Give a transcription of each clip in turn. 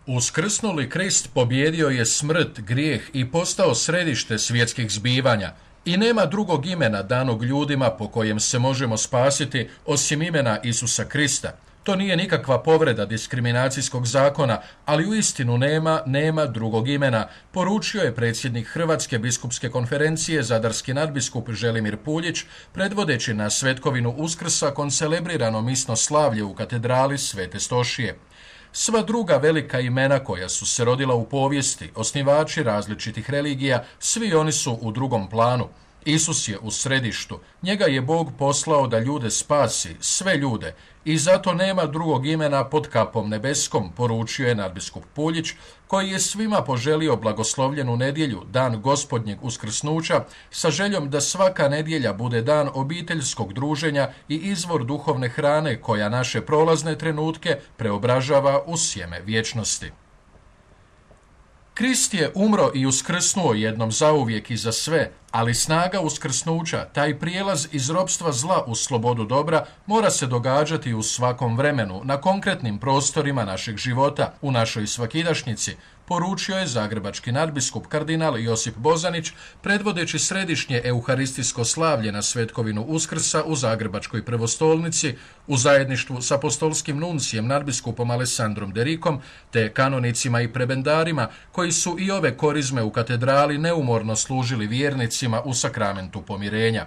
Uskrsnuli Krist pobjedio je smrt, grijeh i postao središte svjetskih zbivanja i nema drugog imena danog ljudima po kojem se možemo spasiti osim imena Isusa Krista. To nije nikakva povreda diskriminacijskog zakona, ali uistinu nema drugog imena, poručio je predsjednik Hrvatske biskupske konferencije zadarski nadbiskup Želimir Puljić, predvodeći na svetkovinu Uskrsa koncelebrirano misno slavlje u katedrali Svete Stošije. Sva druga velika imena koja su se rodila u povijesti, osnivači različitih religija, svi oni su u drugom planu. Isus je u središtu, njega je Bog poslao da ljude spasi, sve ljude, i zato nema drugog imena pod kapom nebeskom, poručio je nadbiskup Puljić, koji je svima poželio blagoslovljenu nedjelju, dan Gospodnjeg uskrsnuća, sa željom da svaka nedjelja bude dan obiteljskog druženja i izvor duhovne hrane koja naše prolazne trenutke preobražava u sjeme vječnosti. Krist je umro i uskrsnuo jednom zauvijek i za sve, ali snaga uskrsnuća, taj prijelaz iz ropstva zla u slobodu dobra, mora se događati u svakom vremenu, na konkretnim prostorima našeg života, u našoj svakidašnjici, poručio je zagrebački nadbiskup kardinal Josip Bozanić, predvodeći središnje euharistijsko slavlje na svetkovinu Uskrsa u Zagrebačkoj prvostolnici, u zajedništvu s apostolskim nuncijem nadbiskupom Alessandrom Derikom, te kanonicima i prebendarima, koji su i ove korizme u katedrali neumorno služili vjernicima u sakramentu pomirenja.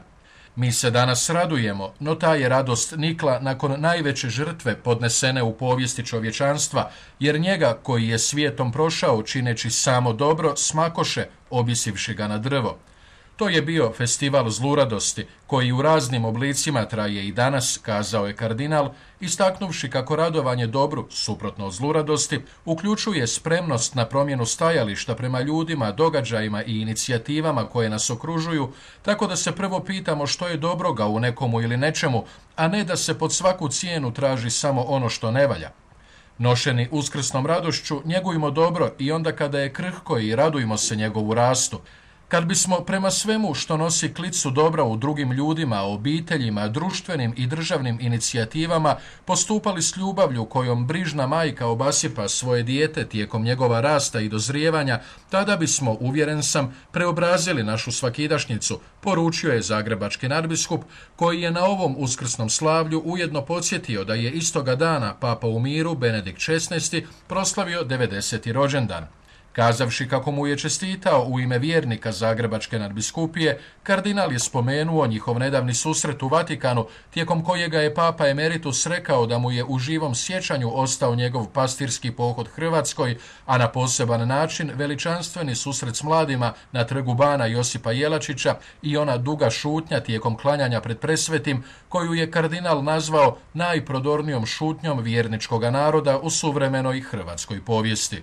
Mi se danas radujemo, no ta je radost nikla nakon najveće žrtve podnesene u povijesti čovječanstva, jer njega koji je svijetom prošao čineći samo dobro smakoše, objesivši ga na drvo. To je bio festival zluradosti, koji u raznim oblicima traje i danas, kazao je kardinal, istaknuvši kako radovanje dobru, suprotno zluradosti, uključuje spremnost na promjenu stajališta prema ljudima, događajima i inicijativama koje nas okružuju, tako da se prvo pitamo što je dobroga u nekomu ili nečemu, a ne da se pod svaku cijenu traži samo ono što ne valja. Nošeni uskrsnom radošću, njegujmo dobro i onda kada je krhko i radujmo se njegovu rastu. Kad bismo prema svemu što nosi klicu dobra u drugim ljudima, obiteljima, društvenim i državnim inicijativama postupali s ljubavlju kojom brižna majka obasipa svoje dijete tijekom njegova rasta i dozrijevanja, tada bismo, uvjeren sam, preobrazili našu svakidašnjicu, poručio je zagrebački nadbiskup, koji je na ovom uskrsnom slavlju ujedno podsjetio da je istoga dana Papa u miru Benedikt XVI proslavio 90. rođendan. Kazavši kako mu je čestitao u ime vjernika Zagrebačke nadbiskupije, kardinal je spomenuo njihov nedavni susret u Vatikanu, tijekom kojega je Papa Emeritus rekao da mu je u živom sjećanju ostao njegov pastirski pohod Hrvatskoj, a na poseban način veličanstveni susret s mladima na trgu bana Josipa Jelačića i ona duga šutnja tijekom klanjanja pred presvetim, koju je kardinal nazvao najprodornijom šutnjom vjerničkoga naroda u suvremenoj hrvatskoj povijesti.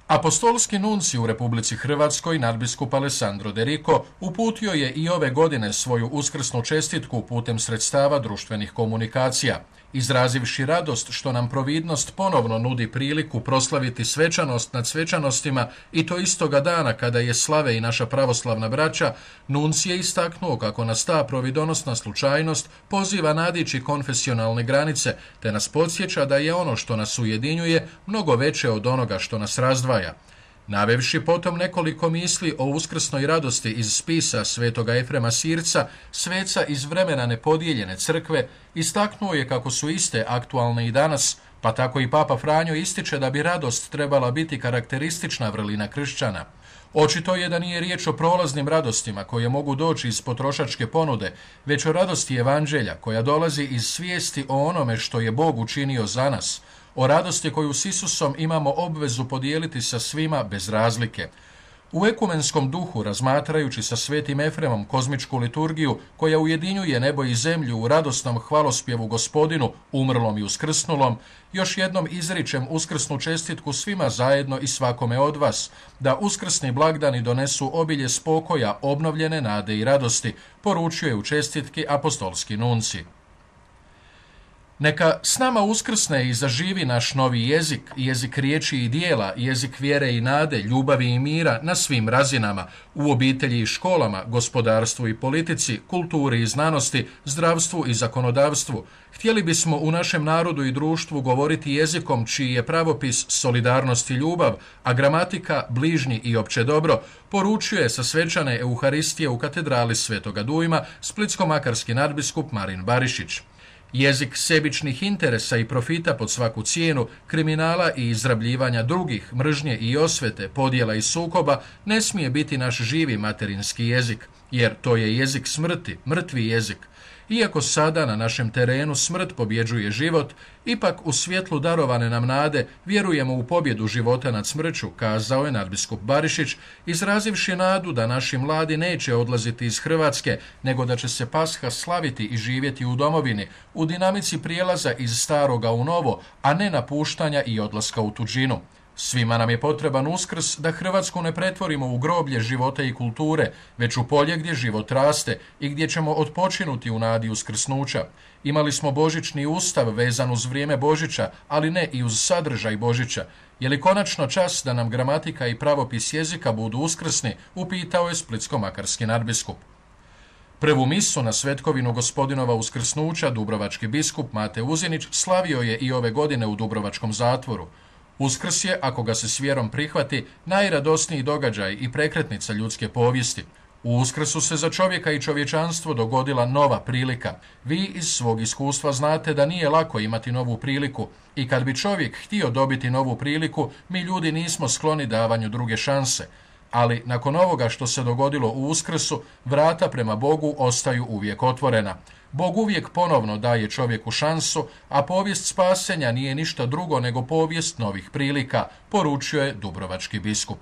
Apostolski nunci u Republici Hrvatskoj, nadbiskup Alessandro Derico, uputio je i ove godine svoju uskrsnu čestitku putem sredstava društvenih komunikacija, izrazivši radost što nam providnost ponovno nudi priliku proslaviti svečanost nad svečanostima i to istoga dana kada je slave i naša pravoslavna braća. Nunci je istaknuo kako nas ta providonosna slučajnost poziva nadići konfesionalne granice, te nas podsjeća da je ono što nas ujedinjuje mnogo veće od onoga što nas razdvaja. Navevši potom nekoliko misli o uskrsnoj radosti iz spisa svetoga Efrema Sirca, sveca iz vremena nepodijeljene crkve, istaknuo je kako su iste aktualne i danas, pa tako i Papa Franjo ističe da bi radost trebala biti karakteristična vrlina kršćana. Očito je da nije riječ o prolaznim radostima koje mogu doći iz potrošačke ponude, već o radosti evanđelja koja dolazi iz svijesti o onome što je Bog učinio za nas, o radosti koju s Isusom imamo obvezu podijeliti sa svima bez razlike. U ekumenskom duhu, razmatrajući sa svetim Efremom kozmičku liturgiju koja ujedinjuje nebo i zemlju u radosnom hvalospjevu Gospodinu, umrlom i uskrsnulom, još jednom izričem uskrsnu čestitku svima zajedno i svakome od vas, da uskrsni blagdani donesu obilje spokoja, obnovljene nade i radosti, poručio je u čestitki apostolski nunci. Neka s nama uskrsne i zaživi naš novi jezik, jezik riječi i dijela, jezik vjere i nade, ljubavi i mira na svim razinama, u obitelji i školama, gospodarstvu i politici, kulturi i znanosti, zdravstvu i zakonodavstvu. Htjeli bismo u našem narodu i društvu govoriti jezikom čiji je pravopis solidarnost i ljubav, a gramatika bližnji i opće dobro, poručuje sa svečane Euharistije u katedrali Svetoga Dujma splitsko-makarski nadbiskup Marin Barišić. Jezik sebičnih interesa i profita pod svaku cijenu, kriminala i izrabljivanja drugih, mržnje i osvete, podjela i sukoba ne smije biti naš živi materinski jezik, jer to je jezik smrti, mrtvi jezik. Iako sada na našem terenu smrt pobjeđuje život, ipak u svjetlu darovane nam nade vjerujemo u pobjedu života nad smrću, kazao je nadbiskup Barišić, izrazivši nadu da naši mladi neće odlaziti iz Hrvatske, nego da će se Pasha slaviti i živjeti u domovini, u dinamici prijelaza iz staroga u novo, a ne napuštanja i odlaska u tuđinu. Svima nam je potreban Uskrs da Hrvatsku ne pretvorimo u groblje života i kulture, već u polje gdje život raste i gdje ćemo odpočinuti u nadi uskrsnuća. Imali smo božićni ustav vezan uz vrijeme Božića, ali ne i uz sadržaj Božića. Je li konačno čas da nam gramatika i pravopis jezika budu uskrsni, upitao je splitsko-makarski nadbiskup. Prvu misu na svetkovinu Gospodinova uskrsnuća dubrovački biskup Mate Uzinić slavio je i ove godine u Dubrovačkom zatvoru. Uskrs je, ako ga se s vjerom prihvati, najradosniji događaj i prekretnica ljudske povijesti. U Uskrsu se za čovjeka i čovječanstvo dogodila nova prilika. Vi iz svog iskustva znate da nije lako imati novu priliku i kad bi čovjek htio dobiti novu priliku, mi ljudi nismo skloni davanju druge šanse. Ali nakon ovoga što se dogodilo u Uskrsu, vrata prema Bogu ostaju uvijek otvorena. Bog uvijek ponovno daje čovjeku šansu, a povijest spasenja nije ništa drugo nego povijest novih prilika, poručio je dubrovački biskup.